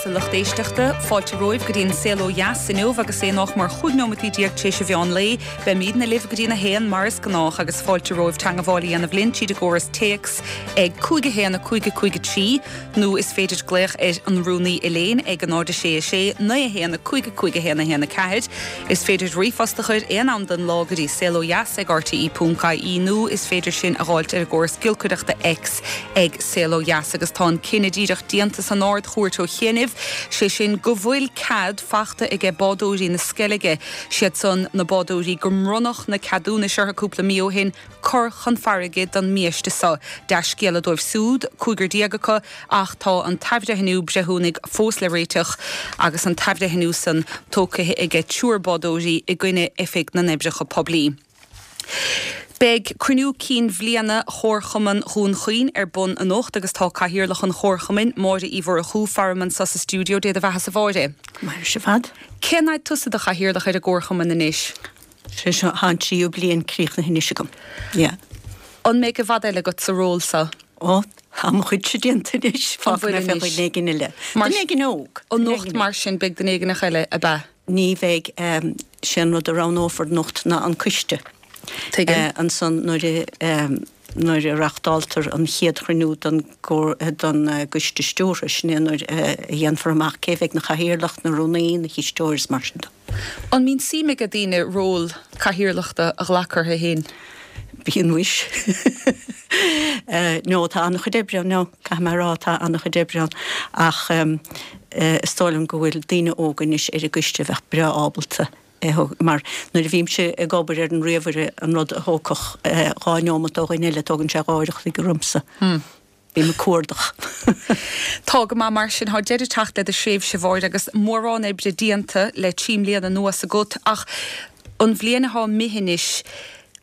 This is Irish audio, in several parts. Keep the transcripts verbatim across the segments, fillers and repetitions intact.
dheas, a lucht éisteachta, fáilte romhaibh go dtí an Saol Ó Dheas inniu agus é nach mór chúig nóiméad déag tar éis an mheán lae, beimidne libh go dtí a haon mar is gnách agus fáilte romhaibh teagmháil a dhéanamh linn tríd an gcóras téacs ag cúig a haon a cúig a cúig a trí nó is féidir glaoch ar an rúnaí Elaine ag an náid sé a sé naoi a haon a cúig a cúig a haon a haon a ceathair. Is féidir ríomhphost a chur aon am den lá go dtí saolodheas ag RTE ponc ie nó is féidir sin a dháileadh ar an gcóras giolcaireachta X ag Saol Ó Dheas agus tá an cinneadh díreach déanta san Ard-Chúirt ó chianaibh sé sin go bhfuil cead fachta aige bádóirí na Sceilge siad san na bádóirí gur bronnadh na ceadúnais orthu cúpla mí ó shin cur chun farraige don mbiaiste seo. Dea-scéala dóibh siúd cúigear déag acu ach tá an t-athbhreithniú breithiúnaigh fós le réiteach agus an t-athbhreithniú san tógtha aige triúr bádóirí i gcoinne Oifig na nOibreacha Poiblí. Beidh cruinniú cinn bhliana Chomharchumann Dhún Chaoin ar bun anocht agus tá cathaoirleach an Chomharchumainn Máire Uí Mhurchú faram anseo sa stiúideo Dé do bheatha a Mháire. Mar se fad? Cén fhad tusa i do chathaoirleach ar an gComharchumann anois? Sé seo an tríú bliain críochnaithe anois agam. Yeah. An mbeidh i bhfad eile agat sa ról seo? Ó tá mo chuidse déanta anois fágfaidh mé fé dhuine éigin eile. Duine éigin óg. Anocht mar sin beidh duine éigin eile ab ea? Ní bheidh sé an rud a roghnófar anocht ná an coiste. Ansan nuair nuair a reáchtáltar an chéad chruinniú don don gcoiste stiúrtha sin é nuair a dhéanfar amach cé bheidh na chathaoirleach na rúnaí na cisteoir is mar sin de. An mbíonn suim ag daoine ról cathaoirleachta a ghlacadh orthu féin? Bíonn muis. No tá an-chuid oibre no caithfidh mé a rá tá an-chuid oibre ann ach is dóigh liom go bhfuil daoine óga anois ar an gcoiste a bheadh breá ábalta mar nuair a bhímse ag obair ar an ríomhaire an rud a thógfadh dhá neomat ó dhuine eile tógann sé dhá uair an chloig ormsa. Bím ag cuardach. Tá go maith mar sin tá deireadh teacht le do thréimhse a Mháire agus mórán oibre déanta le trí mbliana anuas agat ach an bhliain atá imithe anois,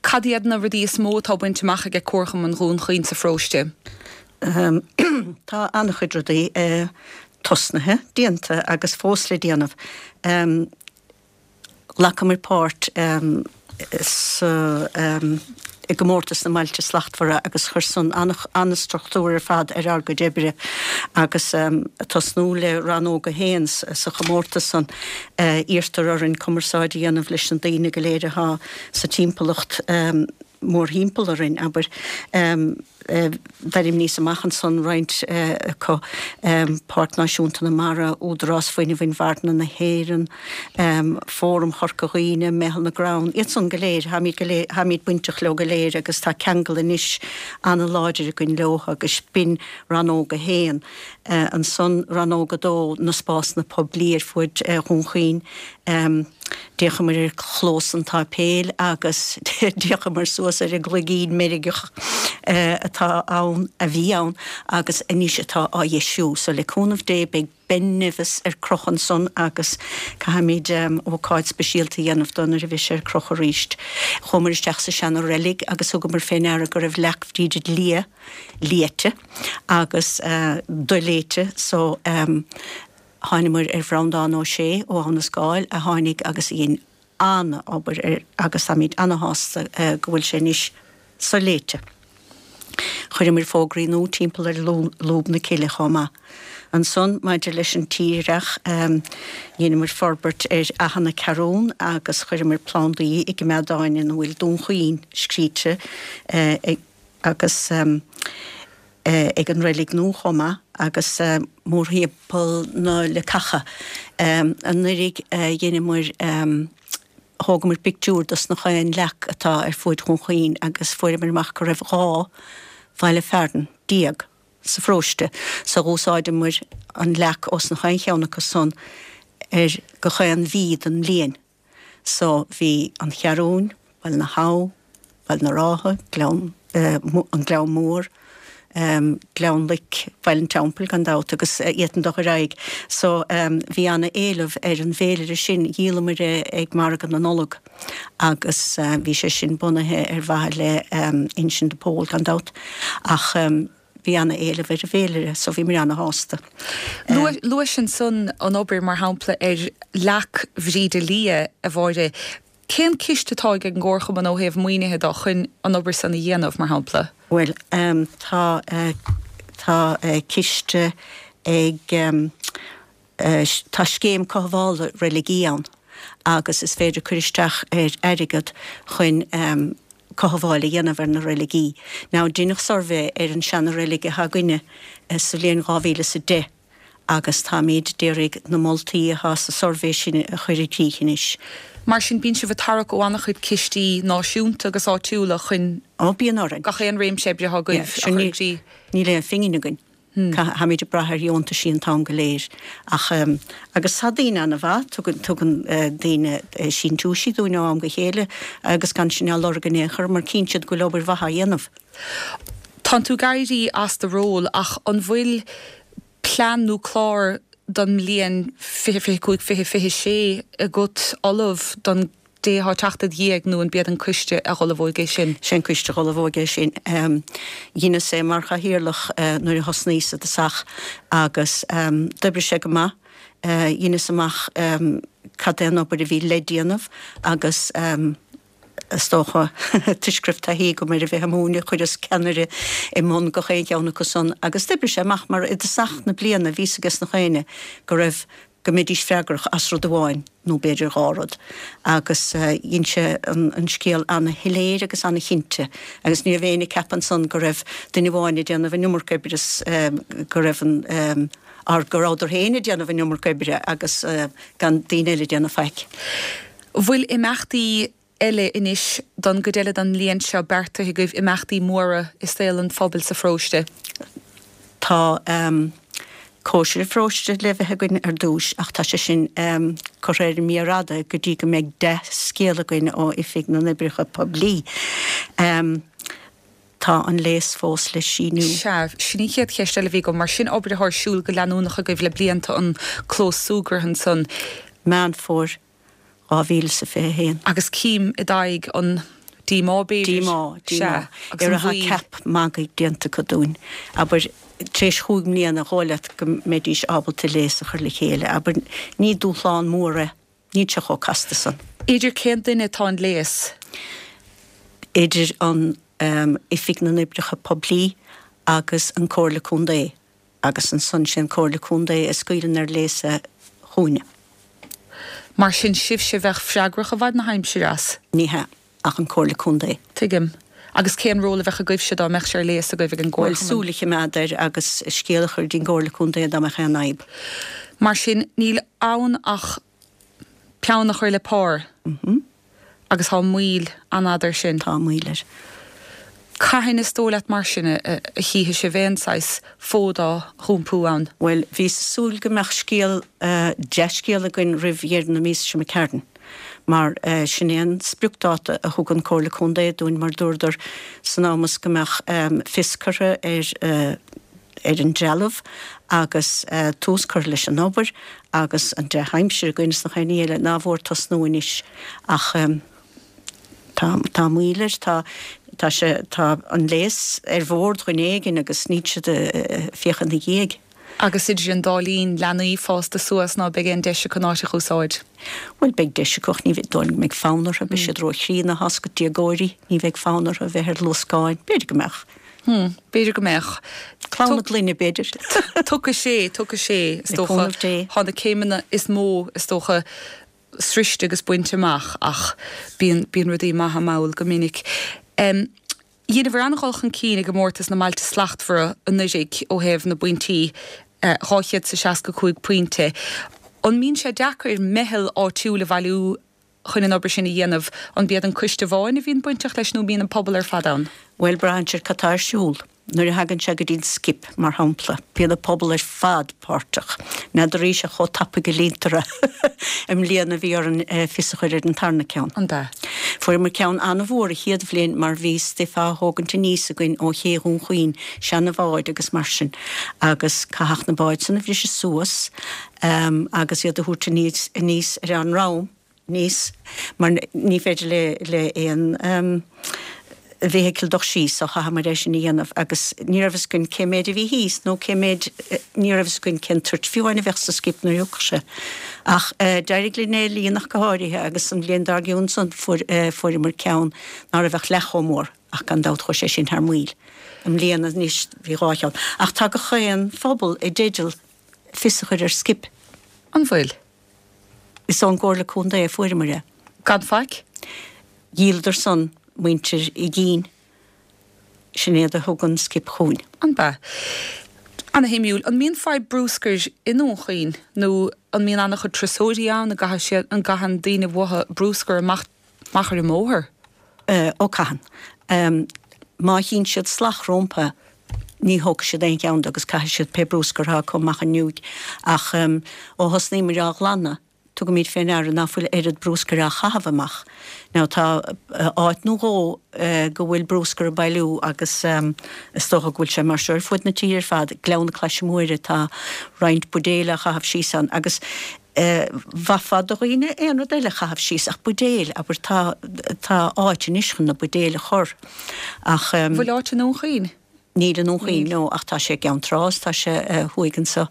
cad iad na rudaí is mó atá bainte amach aige Comharchumann Dhún Chaoin sa pharóiste? Tá an-chuid rudaí tosnaithe déanta agus fós le déanamh. Ghlacamar páirt sa i gcomórtas na mBailte Slachtmhara agus chuir san an-struchtúr ar fad ar ár gcuid oibre agus tosnú le rannóg a haon sa chomórtas san iarrtar orainn cumarsáid a dhéanamh leis na daoine go léir atá sa timpeallacht mórthimpeall orainn, abair. D'ainmníos amach ansan roinnt acu, Páirc Náisiúnta na Mara, Údarás Fuinnimh Inmharthana na hÉireann, Fóram Chorca Dhuibhne, Meitheal na gCrann, iad san go léir, táimid go léir, táimid bainteach leo go léir agus tá ceangal anois an-láidir againn leo agus b'in rannóg a haon. Ansan rannóg a dó, na spásanna poiblí ar fuaid Dhún Chaoin. D'fhéachamar ar chlós an tsáipéil agus d'fhéachamar suas ar an gcloigín meirgeach atá ann, a bhí ann agus anois atá á dheisiú. So le cúnamh Dé beidh Ben Nevis ar crochadh ansan agus caithfimid ócáid speisialta a dhéanamh dó nuair a bheidh sé ar crochadh arís. Chuamar isteach sa seana reilig agus thugamar fé ndeara go raibh leac Bhríde Liath léite agus doléite so Thánamar ar Bhreandán Ó Sé ó Abha na Scáil a tháinig agus a dhein an-obair air agus táimid ana-shásta go bhfuil sé anois soléite. Chuireamar fógraí nua timpeall ar lúb na cille chomh maith. Ansan, maidir leis an tírdhreach, dheineamar forbairt ar Fhaiche na Ceathrún agus chuireamar plandaí i gcoimeádáin ina bhfuil Dún Chaoin scríte agus ag an reilig nua chomh maith agus mórthimpeall na leacacha. Anuraidh dheineamar, thógamar pictiúr dos na chaon leac atá ar fuaid Dhún Chaoin agus fuaireamar amach go raibh dhá bhaile fearainn déag sa pharóiste so dh'úsáideamar an leac ós na chaon cheann acu san ar go chaon mhí den mbliain. So bhí an Cheathrúin, Baile na hAbha, Baile na Rátha, Gleann, an Gleann Mór, Gleann Loic, Baile an Teampaill gan dabht agus d'fhéadfainn dul ar aghaidh. So bhí ana-éileamh ar an bhféilire sin, dhíolamar é ag Margadh na Nollag agus bhí sé sin bunaithe ar mhaithe le Uinsinn de Pól gan dabht ach bhí ana-éileamh ar an bhféilire so bhíomar ana-shásta. Luais ansan an obair mar shampla ar leac Bhríde Liath, a Mháire. Cén ciste atá ag an gComharchumann ó thaobh maoinithe de chun an obair san a dhéanamh, mar shampla? Bhuel, tá, tá ciste ag, Tá scéim cothabhála reiligí ann agus is féidir cur isteach ar airgead chun cothabháil a dhéanamh ar na reiligí. Now deineadh suirbhé ar an seana-reilig atá againne sa bhliain dhá mhíle is a deich agus táimid d'iarraidh na moltaí atá sa suirbhé sin a chur i gcrích anois. Mar sin bíonn sibh ag tarrac ó an-chuid cistí náisiúnta agus áitiúla chun Ó bíonn orainn. gach aon réimse oibre atá agaibh a chur i gcrích. Níl aon phingin againn. Táimid ag brath ar dheontaisí an t-am go léir. Ach, agus tá daoine ana-mhaith, tugann, tugann daoine síntiúisí dúinn ó am go chéile agus gan sinn á lorg in aon chor mar cíonn siad go bhfuil obair mhaith á dhéanamh. Tánn tú ag éirí as do ról ach an bhfuil plean nó clár don mbliain fiche fiche cúig, fiche fiche sé agat ullamh don dté atá ag teacht id dhiaidh nó an b'iad an coiste a dh'ullmhóidh é sin? Sé an coiste a dh'ullmhóidh é sin. Dheineas é mar chathaoirleach nuair a thosnaíos i dtosach agus d'oibrigh sé go maith. Dheineas amach cad é an obair a bhí le déanamh agus is dócha, toisc go raibh taithí agam ar a bheith ag múineadh, chuireas ceannaire i mbun gach aon cheann acu san agus d'oibrigh sé amach mar i dtosach na bliana bhí 's ages nach éinne go raibh go mbeidís freagrach as rud amháin nó b'fhéidir dhá rud agus dhein sé an scéal ana-shoiléir agus ana-chinnte agus ní raibh éinne ag ceapadh ansan go raibh duine amháin ag déanamh an iomarca oibre is go raibh an or go rabhadar féin ag déanamh an iomarca oibre agus gan daoine eile ag déanamh faic. Bhfuil imeachtaí eile anois don gcuid eile den mbliain seo beartaithe agaibh, imeachtaí móra i saol an phobail sa pharóiste? Tá cóisir an pharóiste le bheith againn ar dtúis ach tá sé sin curtha ar an mbior fhada go dtí go mbeidh dea-scéal againn ó Oifig na nOibreacha Poiblí. Tá an léas fós le síniú. Sea, sin an chéad cheist eile a bhí agam, mar sin obair atá ar siúl go leanúnach agaibh le blianta, an clós súgartha ansan. Meán Fómhair dhá mhíle is a fiche a haon. Agus cím i d'aghaidh an díomá, b'fhéidir. Díomá, díomá. Sea, agus an Ar a mhoill. ceap magaidh déanta acu dúinn. Abair, tar éis chúig mbliana, dhóigh leat go mbeidís ábalta léas a chur le chéile. Abair, ní dúshlán mór é. Níl sé chomh casta san. Idir cén duine atá an léas? Idir an Oifig na nOibreacha Poiblí agus an Comhairle Contae. Agus ansan sé an Comhairle Contae a scaoileann ar léas é chugainne. Mar sin, sibhse a bheadh freagrach i bhfad na haimsire as? Ní hea, ach an Comhairle Contae. Tuigim. Agus cén ról a bheadh agaibhse dá mbeadh sé ar léas agaibh ag an Bhuel, gComharchumann? súil a choimeád air agus scéal a chur dtí'n gComhairle Contae dá mbeadh aon fhadhb. Mar sin, níl ann ach peann a chur le pár. Agus tá moill an-fhada air sin. Tá moill air. Cathain is dóigh leat mar sin a chífidh sibh aon saghas fód á dh'iompú ann? Bhuel, bhíos ag súil go mbeadh scéal, dea-scéal againn roimh dheireadh na míosa seo imigh tharainn, mar sin é an spriocdáta a thug an Comhairle Contae dúinn mar dúradar san am is go mbeadh fios curtha ar ar an dtrealamh agus tús curtha leis an obair agus an dea-aimsir againn is nach aon ní eile nár mhór tosnú anois ach Tá, tá moill air, tá, tá sé, tá an léas ar bhord dhuine éigin agus níl siad ag féachaint ina dhiaidh. Agus idir an dá linn, leanaí fásta suas ná beidh aon deis acu an áit a dh'úsáid? Bhuel, beidh deis acu ach ní dóigh liom go mbeidh fonn orthu, beidh siad ró-chríonna, tá's agat, déagóirí, ní bheidh fonn orthu a bheith ar luascáin, b'fhéidir go mbeadh. Hmm, b'fhéidir go mbeadh. Clann na gloine, b'fhéidir. Tiocfaidh sé, tiocfaidh sé, is Le dócha. cúnamh Dé. Tá na céimeanna is mó, is dócha, sroiste agus bainte amach ach bíonn, bíonn rudaí maithe mall go minic. Dheineabhair an-dhul chun cinn i gcomórtas na mBailte Slachtmhara anuraidh ó thaobh na bpointí, dhá chéad is a seasca cúig pointe. An mbíonn sé deacair meitheal áitiúil a bhailiú chun an obair sin a dhéanamh? An b'iad an coiste amháin a bhíonn bainteach leis nó an mbíonn an pobal ar fad ann? Bhuel, braitheann sé ar cad tá ar siúl. Nuair a thagann sé go dtí an skip, mar shampla, bíonn an pobal ar fad páirteach. N'fheadaraíse chomh tapaidh a líontar é. I mbliana bhí orainn fios a chur ar an tarna ceann. An ea? Fuaireamar ceann an-mhór an chéad bhliain mar bhí stuif á thógaint aníos againn ó ché Dhún Chaoin, seana-bháid agus mar sin, agus caitheadh na báid san a bhriseadh suas agus iad a thabhairt aníos aníos ar an ndrom. aníos mar ní féidir le le aon bhfeithicil dul síos so chaitheamar é sin a dhéanamh agus ní raibh fhios againn cé méid a bhí thíos nó cé méid ní raibh fhios againn cén toirt fiú amháin a bheadh sa skip nuair a thiocfadh sé. Ach d'éirigh linn é a líonadh go háirithe agus an bhliain dár gcionn san fuair fuaireamar ceann ná raibh ach leath chomh mór ach gan dabht chuaigh sé sin thar maoil. I mbliana anois bhí dhá cheann. Ach tá gach aon phobal i dteideal fios a chur ar skip. An bhfuil? Is ón gComhairle Contae a fuaireamar é. Gan faic? Dhíoladar san muintir Uí Dhuinn. Sin iad a thug an skip chugainn. An b'ea? Ana-shuimiúil. An mbíonn fadhb brúscair i nDún Chaoin nó an mbíonn an-chuid turasóirí ann, an gcaitheann siad, an gcaitheann daoine uathu brúscar amach, amach ar an mbóthar? Ó caitheann. Má chíonn siad sceach rompu ní thógfaidh siad aon cheann de agus caithfidh siad pé brúscar atá acu amach an fhuinneoig. Ach ó thosnaíomar á ghlanadh, tugaimid fé ndeara ná fuil oiread brúscair á chaitheamh amach. Now tá áit nó dhó go bhfuil brúscar ag bailiú agus is dócha go bhfuil sé mar seo ar fud na tíre ar fad, Gleann na Claise Móire tá roinnt buidéil á chaitheamh síos ann agus mhaithfeá do dhaoine aon rud eile a chaitheamh síos ach buidéil, abair tá tá áit anois chun na buidéil a chur ach. Bhfuil áit i nDún Chaoin? Níl i nDún Chaoin, no, ach tá sé i gCeann Trá is tá sé thuaidh anseo.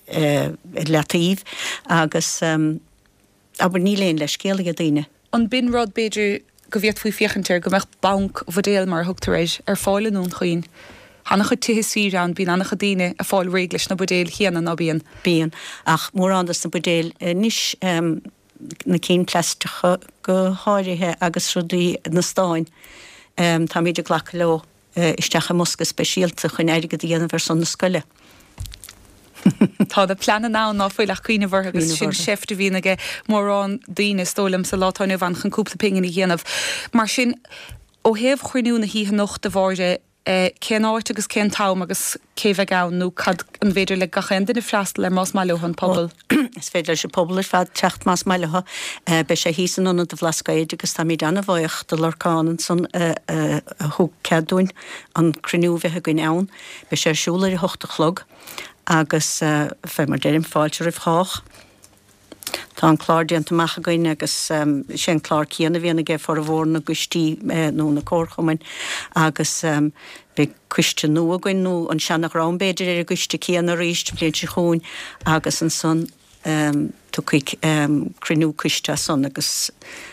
Ar leataobh agus abair níl aon leithscéal ag daoine. An b'in rud, b'fhéidir, go bhféadfaí féachaint air, go mbeadh banc bhuidéal, mar a thugtar air, ar fáil i nDún Chaoin? Tá an-chuid tithe saoire ann, bíonn an-chuid daoine ag fáil réidh leis na buidéil chéanna, ná bíonn? Bíonn, ach mórán dos na buidéil anois, na cinn plaisteacha go háirithe agus rudaí, na stáin, táimid ag glacadh leo. isteach i mbosca speisialta chun airgead a dhéanamh ar son na scoile. Tá na pleananna ann ná fuil ach cuimhneamh orthu agus sin seift a bhíonn aige mórán daoine is dóigh liom sa lá atá inniu ann chun cúpla pingin a dhéanamh. Mar sin, ó thaobh chruinniú na hoíche anocht a Mháire, cén áit agus cén t-am agus cé bheidh ann nó cad, an bhféidir le gach aon duine freastal air más maith leo, an pobal? Is féidir leis an pobal ar fad teacht más maith leo. Beidh sé thíos in Ionad an Bhlascaoid agus táimid an-bhuíoch do Lorcán ansan a thug cead dúinn an cruinniú a bheith againn ann. Beidh sé ar siúl ar a hocht a chlog agus fé mar deirim, fáilte roimh chách. Tá an clár déanta amach againn agus is é an clár céanna a bhíonn aige formhór na gcoistí nó na comharchumainn agus beidh coiste nua againn nó an seana-dhream b'fhéidir ar an gcoiste céanna arís an bhliain seo chugainn agus ansan tiocfaidh cruinniú coiste as san agus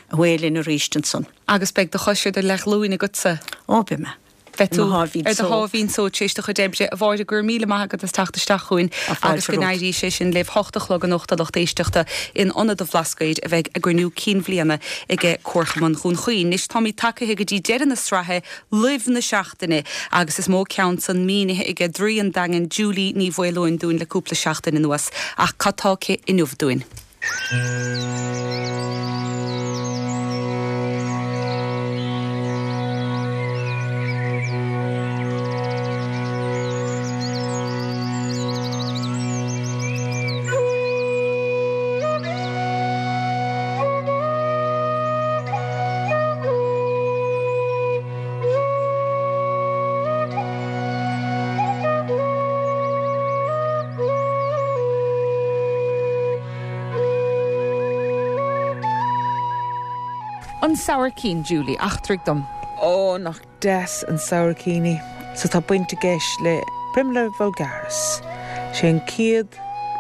away linn arís ansan. Agus beidh do chois ar do leathghlúin agatsa? Ó, beidh mé. Beidh tú ar do sháimhín só tar éis do chuid oibre. A Mháire, go raibh míle maith agat as teacht isteach chugainn agus go n-éirí sé sin libh. Hocht a chlog anocht a lucht éisteachta in Ionad an Bhlascaoid a bheidh a gcruinniú cinn bhliana aige Comharchumann Dhún Chaoin. Anois táimid tagaithe go dtí deireadh na sraithe Luibh na Seachtaine agus is mó ceann san mínithe aige Draoi an Daingin Julie Ní Mhaoileoin dúinn le cúpla seachtain anuas. Ach cad tá aici inniu dúinn? An sabhaircín, Julie, eachtraigh dom. Ó, nach deas an sabhaircín í. So tá baint i gceist le Primula vulgaris. Sé an chéad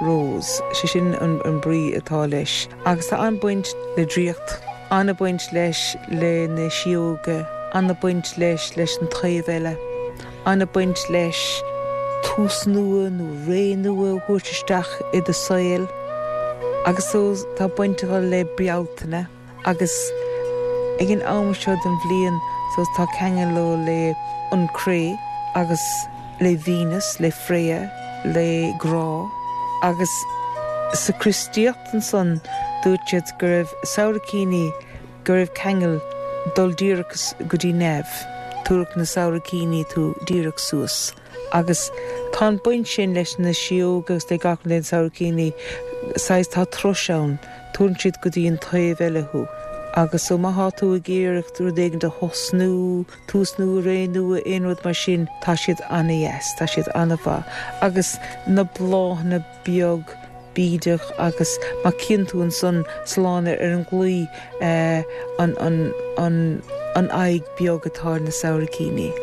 rose, sé sin an, an brí atá leis. Agus tá an-baint le draíocht, an-baint leis le na síóga, an-baint leis leis an taobh eile. An-baint leis tús nua nó ré nua a thabhairt isteach i do saol. Agus so tá baint acu le Bealtaine agus ag an am seo den bhliain so tá ceangal leo le an cré agus le Venus, le Freya, le grá. Agus sa Chríostaíocht ansan dúirt siad go raibh sabhaircíní go raibh ceangal dul díreach go dtí neamh, tabharfadh na sabhaircíní tú díreach suas. Agus tá an baint sin leis na síóga agus le gach rud le na sabhaircíní, saghas tá turas ann, tabharann siad go dtí an taobh eile thú. Agus so má thá tú ag iarraidh rud éigin a thosnú, tús nua, ré nua, aon rud mar sin, tá siad ana-dheas, tá siad ana-mhaith. Agus na bláthanna beag bídeach agus má chíonn tú ansan sa lána ar an gclaí an an aghaidh beag atá ar na sabhaircíní.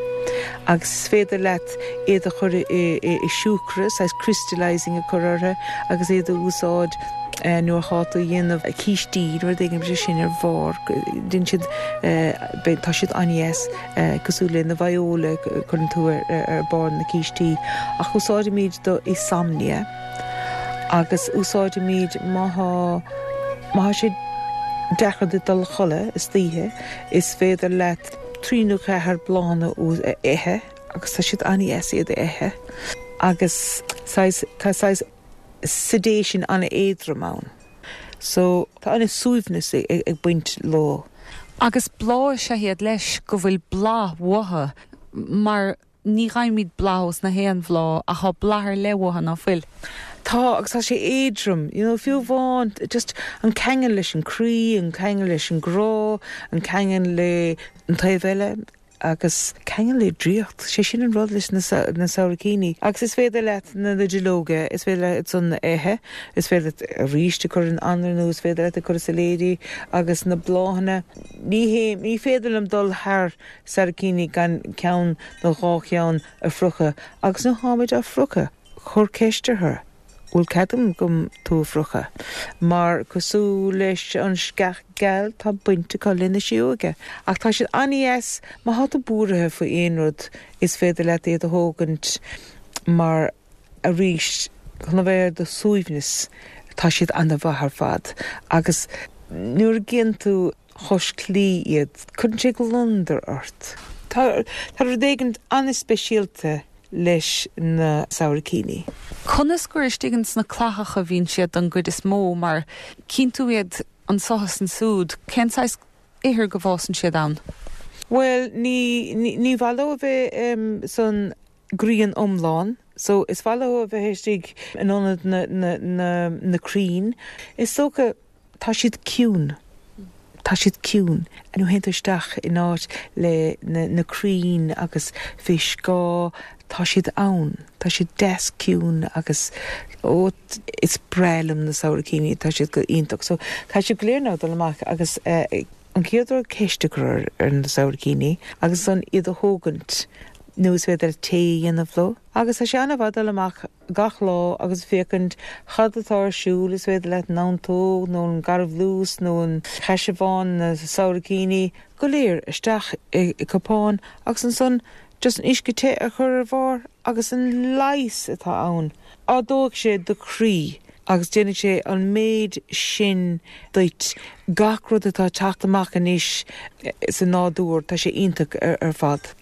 Agus is féidir leat iad a chur i siúcra, saghas crystallising a chur orthu agus iad a úsáid nuair atá tú a dhéanamh cístí nó rud éigin sé sin ar bharr, déanann siad, tá siad an-dheas cosúil le na viola a chuireann tú ar barr na cístí. Ach úsáidimid do insomnia. Agus úsáidimid má tá má tá sé deacair duit dul a chodladh istoíche, is féidir leat trí nó ceathair bláthanna a ithe agus tá siad an-deas iad a ithe. Agus saghas tá saghas sedation an-éadrom ann. So tá an-suaimhneas ag baint leo. Agus bláth is ea iad leis go bhfuil bláth uathu mar ní fhaighimid bláth ós na haon bhláth ach tá bláth ar leith uathu ná fuil. Tá agus tá sé éadrom, you know, fiú amháin just an ceangal leis an croí, an ceangal leis an grá, an ceangal le an taobh eile agus ceangal le draíocht, sé sin an rud leis na na sabhaircíní. Agus is féidir leat na na duilleoga, is féidir leat san ithe, is féidir leat arís a chur in anraith nó is féidir leat a chur i sailéidí agus na bláthanna. Ní hé ní féidir liom dul thar sabhaircíní gan ceann nó dhá cheann a phlúchadh agus nuair atáimid á phlúchadh, cuir ceist orthu. Bhfuil cead agam tú a phlúchadh, mar cosúil leis an sceach geal tá baint acu le na sióga. Ach tá siad an-deas má tá tú buartha faoi aon rud is féidir leat iad a thógaint mar arís chun a bheith ar do shuaimhneas tá siad an-mhaith ar fad. Agus nuair a chíonn tú cois claí iad, cuireann sé gliondar ort. Tá tá rud éigin an-speisialta leis na sabhaircíní. Conas gur istigh sna clathacha a bhíonn siad don gcuid is mó mar cíonn tú iad anseo is ansiúd, cén saghas ithir go bhfásann siad ann? Well ní ní ní mhaith leo a bheith um, san grian iomlán, so is mhaith leo a bheith istigh in ionad na, na, na, na crainn. Is dócha tá siad ciúin. Tá siad ciúin. Nuair a théann tú isteach in áit le na, na crainn agus fé scáth tá siad ann. Tá siad deas ciúin agus ó is breá liom na sabhaircíní, tá siad go iontach. So tá siad go léir ná dul amach agus uh, an chéad rud ceist a chur ar na sabhaircíní agus an iad a thógaint nó is féidir tae a dhéanamh leo. Agus tá sé an-mhaith dul amach gach lá agus féachaint cad atá ar siúl is féidir leat an neantóg nó an garbhlús nó an caisearbhán na sabhaircíní go léir isteach i, i cupán agus ansan just an uisce te a chur ar bharr agus an leigheas atá ann. Ardóidh sé do chroí agus déanfaidh sé an méid sin duit gach rud atá teacht amach anois sa nádúr tá sé iontach ar, ar fad.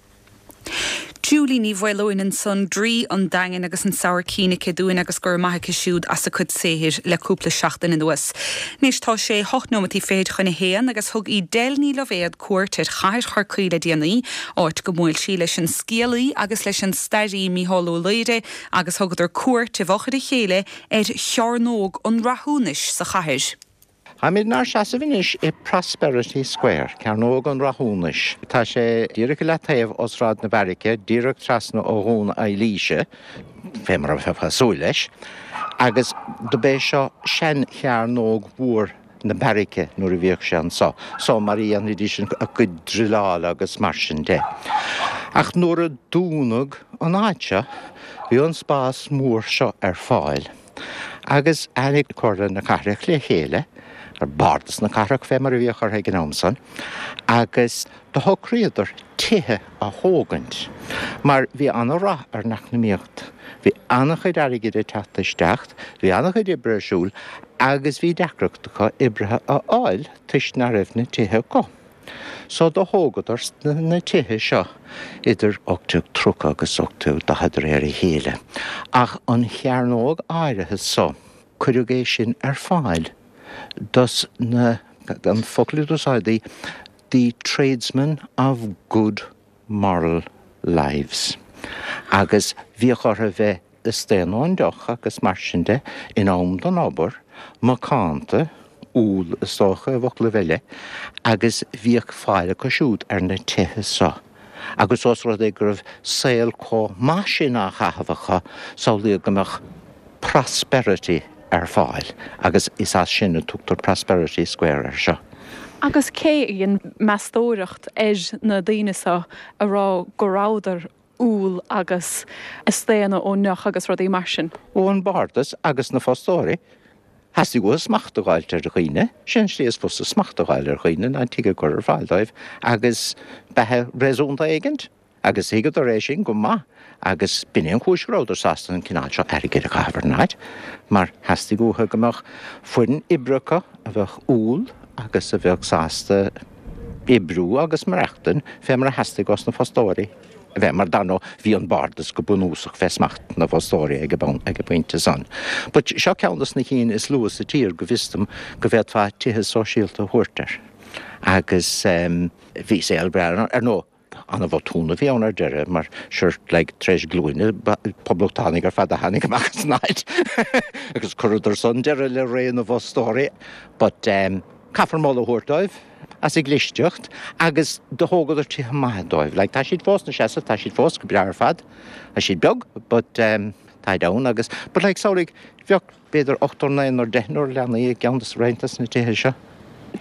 Julie Ní Mhaoileoin ansan Draoi an Daingin agus an sabhaircín aici dúinn agus gur maith aici siúd as a cuid saothair le cúpla seachtain anuas. Anois tá sé hocht nóiméad fichead chun a haon agus thug Edel Ní Loibhéad cuairt ar chathair Chorcaí le déanaí, áit gur bhuail sí leis an scéalaí agus leis an staraí Mícheál Ó Laoire agus thugadar cuairt i bhfochair a chéile ar chearnóg an Rathúnais sa chathair. Táimid inár seasamh anois i Prosperity Square, Cearnóg an Rathúnais. Tá sé díreach le taobh ó Sráid na Beairice, díreach trasna ó Dhún Eilíse, fé mar a bheifeá ag súil leis, agus do b'é seo sean-chearnóg mhór na beairice nuair a bhíodh sé anseo, so mar a dhéanfaidís a gcuid druileála agus mar sin de. Ach nuair a dúnadh an áit seo, bhí an spás mór seo ar fáil. Agus tháinig Comhairle na Cathrach le chéile, ar Bardas na Cathrach fé mar a bhíodh orthu ag an am san, agus do shocraíodar tithe a thógaint, mar bhí an-rath ar an eacnamaíocht. Bhí an-chuid airgid ag teacht isteach, bhí an-chuid oibre ar siúl, agus bhí deacracht acu oibrithe a fháil toisc nach raibh na tithe acu. So do thógadar na tithe seo idir ocht déag tríocha agus ocht déag daichead de réir a chéile. Ach an chearnóg áirithe so, cuireadh é sin ar fáil dos na an focal a d'úsáideadh the tradesmen of good moral lives. Agus bhíodh orthu bheith ag staonadh ón deoch agus mar sin de in am don obair, macánta, úll is dócha i bhfoclaibh eile, agus bhíodh fáil acu siúd ar na tithe seo. Agus os rud é go raibh saol chomh maith sin á chaitheamh acu, samhlaíodh go mbeadh prosperity ar fáil, agus is as sin a tugtar Prosperity Square air seo. Agus cé a dhein meastóireacht ar na daoine seo a rá go rabhadar úll agus ag staonadh ón ndeoch agus rudaí mar sin? Ó an Bardas agus na fostóirí, Theastaigh uathu smacht a fháilt ar dhaoine, sin an slí is fusa smacht a fháil ar dhaoine ná tigh a chur ar fáil dóibh agus beatha réasúnta éigint. Agus thuigeadar é sin go maith agus b'in é an chúis go rabhadar sásta an cineál seo airgid a chaitheamh ar an áit, mar theastaigh uathu go mbeadh foireann oibre acu a bheadh umhal agus a bheadh sásta oibriú agus maireachtaint fé mar a theastaigh os na fostóirí a bheith, mar dar ndóigh bhí an bardas go bunúsach fé smacht na bhfostóirí ag an ag an bpointe san. But seo ceann dos na cinn is luaithe sa tír go bhfios dom go bhféadfá tithe sóisialta a thabhairt air. Agus um, bhí saol breá ar ndóigh an-bhotún a bhí ann ar deireadh mar sure like tar éis glúine poblachtánaigh ar fad a tháinig amach as an áit agus chuireadar san deireadh le ré na bhfostóirí but um, caithfear moladh a thabhairt dóibh as a gclisteacht agus do thógadar tithe maithe dóibh. Like, tá siad fós ina seasamh, tá siad fós go breá ar fad. Tá siad beag, but um, táid ann agus but like samhlaigh bheadh b'fhéidir ochtar naonúr deichniúr leanaí i gceann de roinnt des na tithe seo.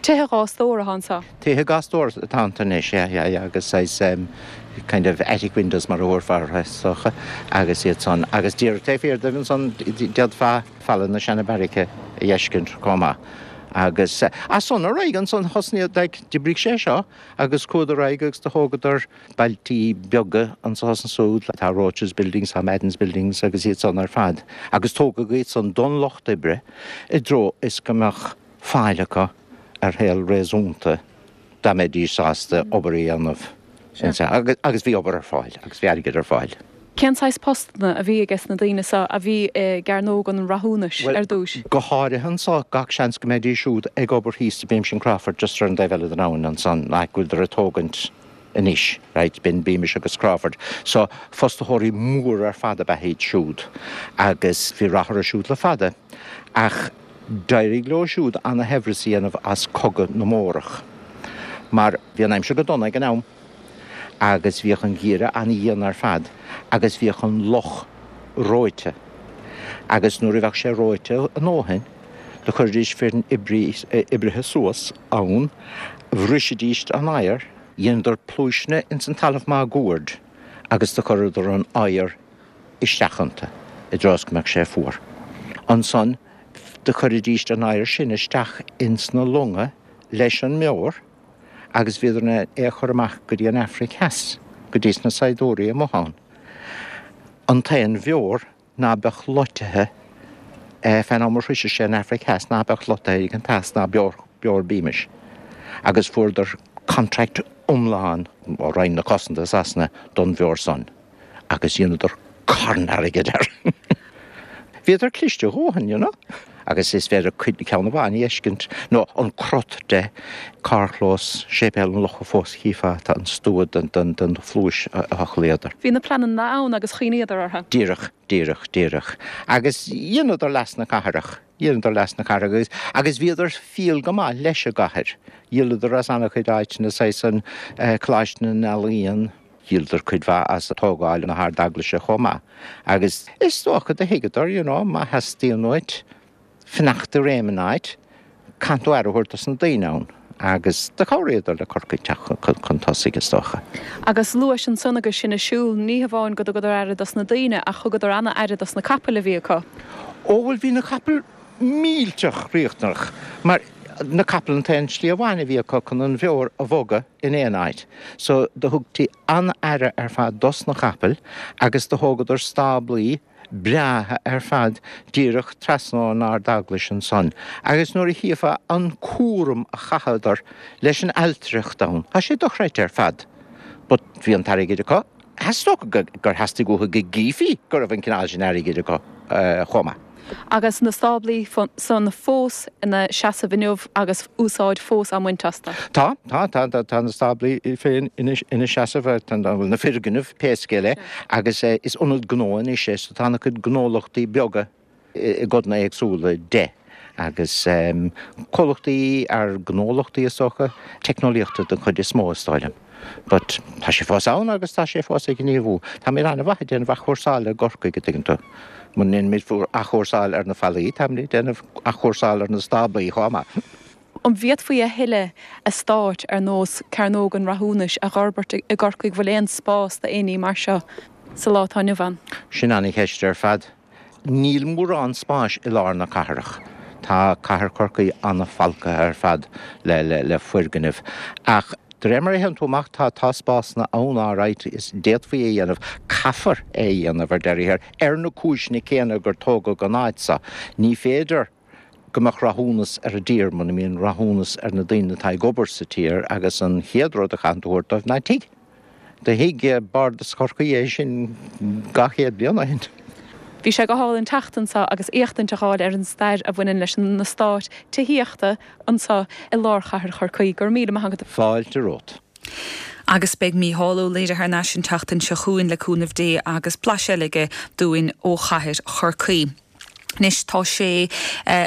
Tithe dhá stór atá anseo. Tithe dhá stór atá ann anois, yeah, yeah, yeah, agus saghas um, kind of attic windows mar a thabharfá orthu is dócha agus iad san agus díreach taobh thiar díobh ansan d'fhéadfá falla na seana-bheairice a fheiscint chomh maith. Agus uh, as san ar aghaidh ansan thosnaigh like, d'oibrigh sé seo agus chuadar ar aghaidh agus do thógadar bailtí beaga anso is ansúd, tá Roches Buildings, tá Madden's Buildings agus iad san ar fad. Agus tógadh iad san don lucht oibre i dtreo is go mbeadh fáil acu ar shaol réasúnta dá mbeidís sásta obair a dhéanamh. Agus, agus bhí obair ar fáil, agus bhí airgead ar fáil. Cén saghas postanna a bhí ages na daoine seo a bhí i gCearnóg an Rathúnais Well, ar dtús? Go háirithe anso gach seans go mbeidís siúd ag obair thíos i Beamish and Crawford just ar an dtaobh eile den abhainn ansan nach bhfuiltear ag tógaint anois, right, b'in Beamish agus Crawford. So fostaitheoirí mór ar fad ab ea iad siúd agus bhí rath orthu siúd le fada. Ach d'éirigh leo siúd ana-shaibhreas a dhéanamh as cogadh na mBórach. Mar bhí an aimsir go dona ag an am agus bhíodh an geimhreadh an-dhian ar fad agus bhíodh an loch reoite. Agus nuair a bheadh sé reoite a ndóthain, do chuiridís foireann oibrithe suas ann, bhrisidís an oighear, dhéanadar pluaiseanna ins an talamh máguaird agus do chuireadar an oighear isteach iontu i dtreo is go mbeadh sé fuar. Ansan do chuiridís an oighear sin isteach ins na longa leis an mbeoir agus bhíodar in ann é a chur amach go dtí an Afraic Theas, go dtí na saighdiúirí amuigh ann. An t-aon bheoir ná beadh loitithe fén am a shroicheadh sé an Afraic Theas ná beadh loitithe ag an teas ná beoir beoir Beamish. Agus fuaireadar contract iomlán ó Roinn na Cosanta Sasana don bheoir san, agus dhéanadar carn airgid air. Bhíodar cliste a dhóthain, you know? Agus is féidir cuid ceann amháin a fheiscint nó an crot de carrchlós Séipéal an Locha fós chífeá tá an stua den den den phluais a thochlaíodar. Bhí na pleananna ann agus chuimhníodar orthu. Díreach, díreach, díreach. Agus dheineadar leas na cathrach, dheineadar leas na cathrach agus, agus bhíodar fial go maith leis an gcathair. Dhíoladar as an-chuid áiteanna saghas an eh, Coláiste na nEalaíon, dhíoladar cuid mhaith as tógáil na hArd-Eaglaise chomh maith. Agus is dócha do thuigeadar, you know, má theastaíonn uait fanacht i réim in áit, caithfidh tú aire a thabhairt dos na daoine ann. Agus do chabhraíodar le Corcaigh teacht chun tosaigh is dócha. Agus luais ansan agus sinn ag siúl ní hamháin go dtugadar aire dos na daoine ach thugadar an-aire dos na capaill a bhí acu. Ó bhuel bhí na capaill millteach riachtanach, mar na capaill an t-aon slí amháin a bhí acu chun an bheoir a bhogadh in aon áit. So do thugtaí an-aire ar fad dos na capaill agus do thógadar stáblaí breátha ar fad díreach trasna ón Ard-Eaglais ansan. Agus nuair a chífeá an cúram a chaitheadar leis an ailtireacht ann, tá sé dochreidte ar fad. But bhí an t-airgead acu, is dócha gur theastaigh uathu go gcífí go raibh an cineál sin airgid acu uh, chomh maith. Agus na stáblaí san fós ina seasamh inniu agus úsáid fós á mbaint astu. Tá tá tá tá tá na stáblaí féin ina ina seasamh tá na foirgnimh pé scéal é agus eh, is ionad gnó anois é so tá na cuid gnólachtaí beaga i gcodanna éagsúla de. agus um, comhlachtaí ar gnólachtaí is dócha teicneolaíochta den chuid is mó is dóigh liom. But tá sé fós ann agus tá sé fós ag gníomhú. Tá mé an-mhaith ag déanamh athchúrsáil i gCorcaigh go dtuigeann tú. Muna ndéanaimid athchúrsáil ar na fallaí, tá mé ag déanamh athchúrsáil ar na stáblaí chomh maith. An bhféadfaí a thuilleadh eastáit ar nós Cearnóg an Rathúnais a fhorbairt i gCorcaigh bhfuil aon spás d'aon ní mar seo sa lá atá inniu ann. Sin an-cheist ar fad. Níl mórán spáis i lár na cathrach. Tá cathair Chorcaí an-fholctha ar fad le, le, le foirgnimh. Ach De réir mar a théann tú amach tá tá spásanna ann alright is d'fhéadfaí é a dhéanamh, caithfear é a dhéanamh ar deireadh thiar, ar na cúiseanna céanna gur tógadh an áit seo. Ní féidir go mbeadh rathúnas ar an dtír muna mbíonn rathúnas ar na daoine atá ag obair sa tír agus an chéad rud a chaitheann tú a thabhairt dóibh ná tigh. Do thuig Bardas Chorcaí é sin dhá chéad bliain ó shin. Bhí sé go hálainn teacht anseo agus éachtaint a fháil ar an stair a bhaineann leis an eastát tithíochta anseo i lár chathair Chorcaí. Go raibh míle maith agat. Fáilte romhat. Agus beidh Mícheál Ó Laoire thar n-ais an tseachtain seo chugainn le cúnamh Dé agus blaiseadh eile aige dúinn ó chathair Chorcaí. Anois tá sé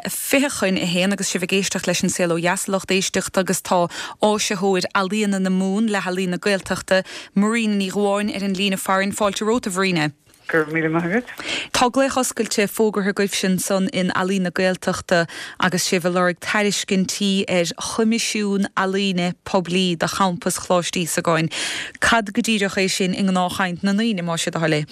fiche chun a haon agus sibh ag éisteacht leis an Saol Ó Dheas a lucht éisteachta agus tá áisitheoir ealaíona na Mumhan le hEalaín na Gaeltachta, Marina Ní Dhubháin ar an líne farainn. Fáilte romhat a Mharina. Go raibh míle maith agat. Tá glaoch oscailte fógartha agaibhse ansan in Ealaín na Gaeltachta agus sibh ag lorg tairiscintí ar choimisiún ealaíne poiblí do champas Choláiste Íosagáin. Cad go díreach é sin i ngnáthchaint na ndaoine más é do thoil é?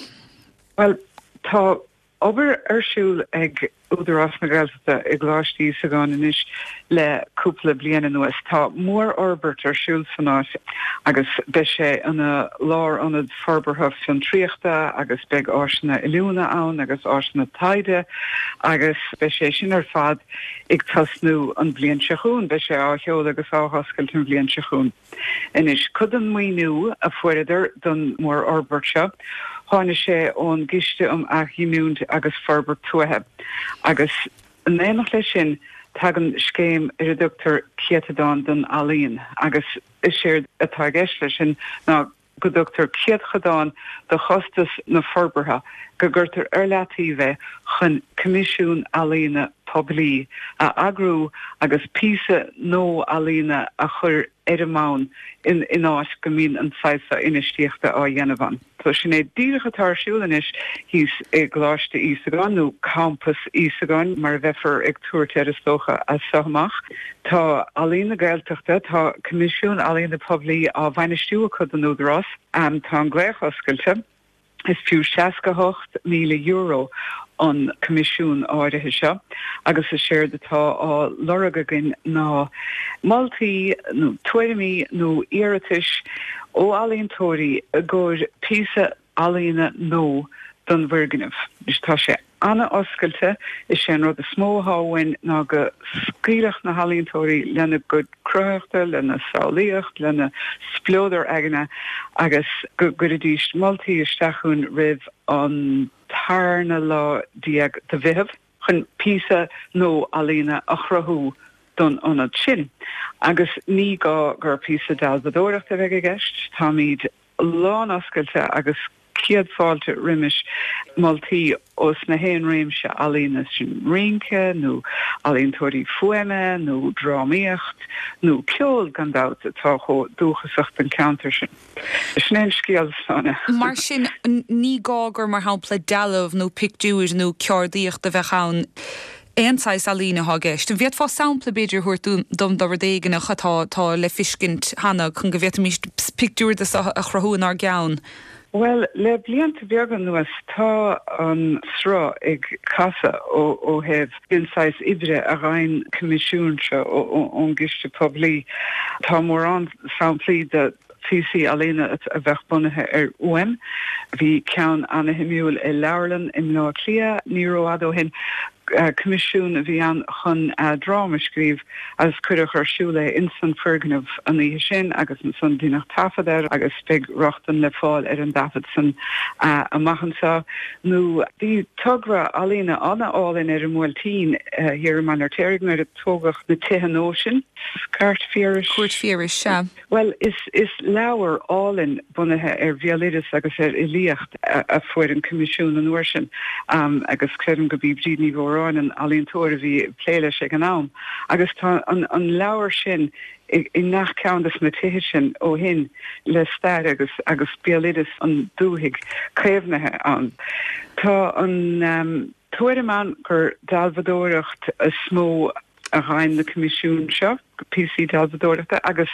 Well, tá obair ar siúl ag Údarás na Gaeltachta i gColáiste Íosagáin anois le cúpla bliain anuas. Tá mórfhorbairt ar siúl san áit agus beidh sé ina lárionad forbartha fiontraíochta agus beidh áiseanna oiliúna ann agus áiseanna taighde agus beidh sé sin ar fad ag tosnú an bhliain seo chugainn, beidh sé á sheoladh agus á oscailt an bhliain seo chugainn. Anois, cuid den mhaoiniú a fuaireadar don mhórfhorbairt seo, tháinig sé ón gCiste um Athghiniúint agus Forbairt Tuaithe agus in éineacht leis sin tagann scéim ar a dtugtar Céatadán don Ealaín agus is éard atá i gceist leis sin ná go dtugtar céatadán de chostas na forbartha go gcuirtear ar leataobh é chun coimisiún ealaíne poiblí a eagrú agus píosa nua ealaíne a chur ar an mbonn in in áit go mbíonn an saghas seo infheistíochta á dhéanamh ann. So sin é díreach atá ar siúl anois thíos i gColáiste Íosagáin nó Campas Íosagáin mar a bheifear ag tabhairt air is dócha as seo amach. Tá Ealaín na Gaeltachta, tá Coimisiún Ealaíne Poiblí á bhainistiú acu don Údarás. Tá an glaoch oscailte. Is fiú seasca hocht míle euro an coimisiún áirithe seo agus is éard atá á lorg againn ná moltaí nó tuairimí nó iarratais ó ealaíontóirí i gcomhair píosa ealaíne nua don bhfoirgneamh. Anois tá sé an-oscailte, is é an rud is mó atá uainn ná go scaoilfeadh na healaíontóirí lena gcuid cruthaitheachta, lena samhlaíocht, lena spleodar aigne agus go gcuirfidís moltaí isteach chugainn roimh an tarna lá déag de Mheitheamh chun píosa nua ealaíne a chruthú don ionad sin. Agus ní gá gur píosa dealbhádóireachta a bheidh i gceist, táimid lán-oscailte agus céad fáilte roimis moltaí ós na haon réimse ealaíne, sin rince nó ealaíontóirí fuaime nó drámaíocht nó ceol gan dabht atá chomh dúchasach don cheantar sin. Sin é an scéal, Sláine. Mar sin, ní gá gur mar shampla dealbh nó pictiúir nó ceardaíocht a bheadh ann. Aon saghas ealaíne atá i gceist. An bhféadfá sampla, b'fhéidir, a thabhairt dom de rud éigineach atá atá le feiscint cheana chun go bhféadfaimis pictiúr de seo a chruthú inár gceann? Bhuel, le blianta beaga anuas tá an sruth ag casadh ó ó thaobh den saghas oibre a gheibheann coimisiúin seo ón gciste poiblí. Tá mórán samplaí de phíosaí ealaíne a bheadh bunaithe ar fhuaim. Bhí ceann ana-shuimiúil i leabharlann i mBleá Cliath ní rófhada ó shin. Coimisiún a bhí ann chun dráma a scríobh agus cuireadh ar siúl é ins an foirgneamh an oíche sin agus ansan deineadh taifead air agus beidh rochtain le fáil ar an dtaifead san amach anseo. Nó bhí togra ealaíne ana-álainn ar an mBuailtín thiar i mBaile an Fheirtéaraigh nuair a tógadh na tithe nua sin, Cúirt Phiarais. Cúirt Phiarais, sea. Bhuel, is is leabhar álainn bunaithe ar bhéaloideas agus ar fhilíocht a fuair an coimisiún an uair sin agus creidim go b'í Bríd Ní Mhóráin an ealaíontóir a bhí ag plé leis ag an am. Agus tá an an leabhar sin i i ngach ceann des na tithe sin ó shin le stair agus agus béaloideas an dúthaigh caomhnaithe ann. Tá an tuairim ann gur dealbhadóireacht is mó a gheibheann na coimisiúin seo, píosaí dealbhadóireachta, agus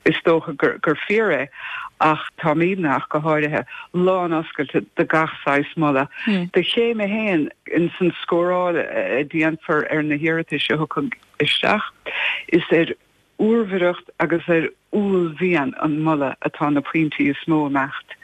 is dócha gur fíor é, ach táimidne, ach go háirithe, lán-oscailte do gach saghas moladh. Do chéim a haon ins an scóráil a déanfar ar na hiarratais a thiocfaidh isteach, is ar úrmhaireacht agus ar uaillmhian an mholadh atá na pointí is mó ag imeacht.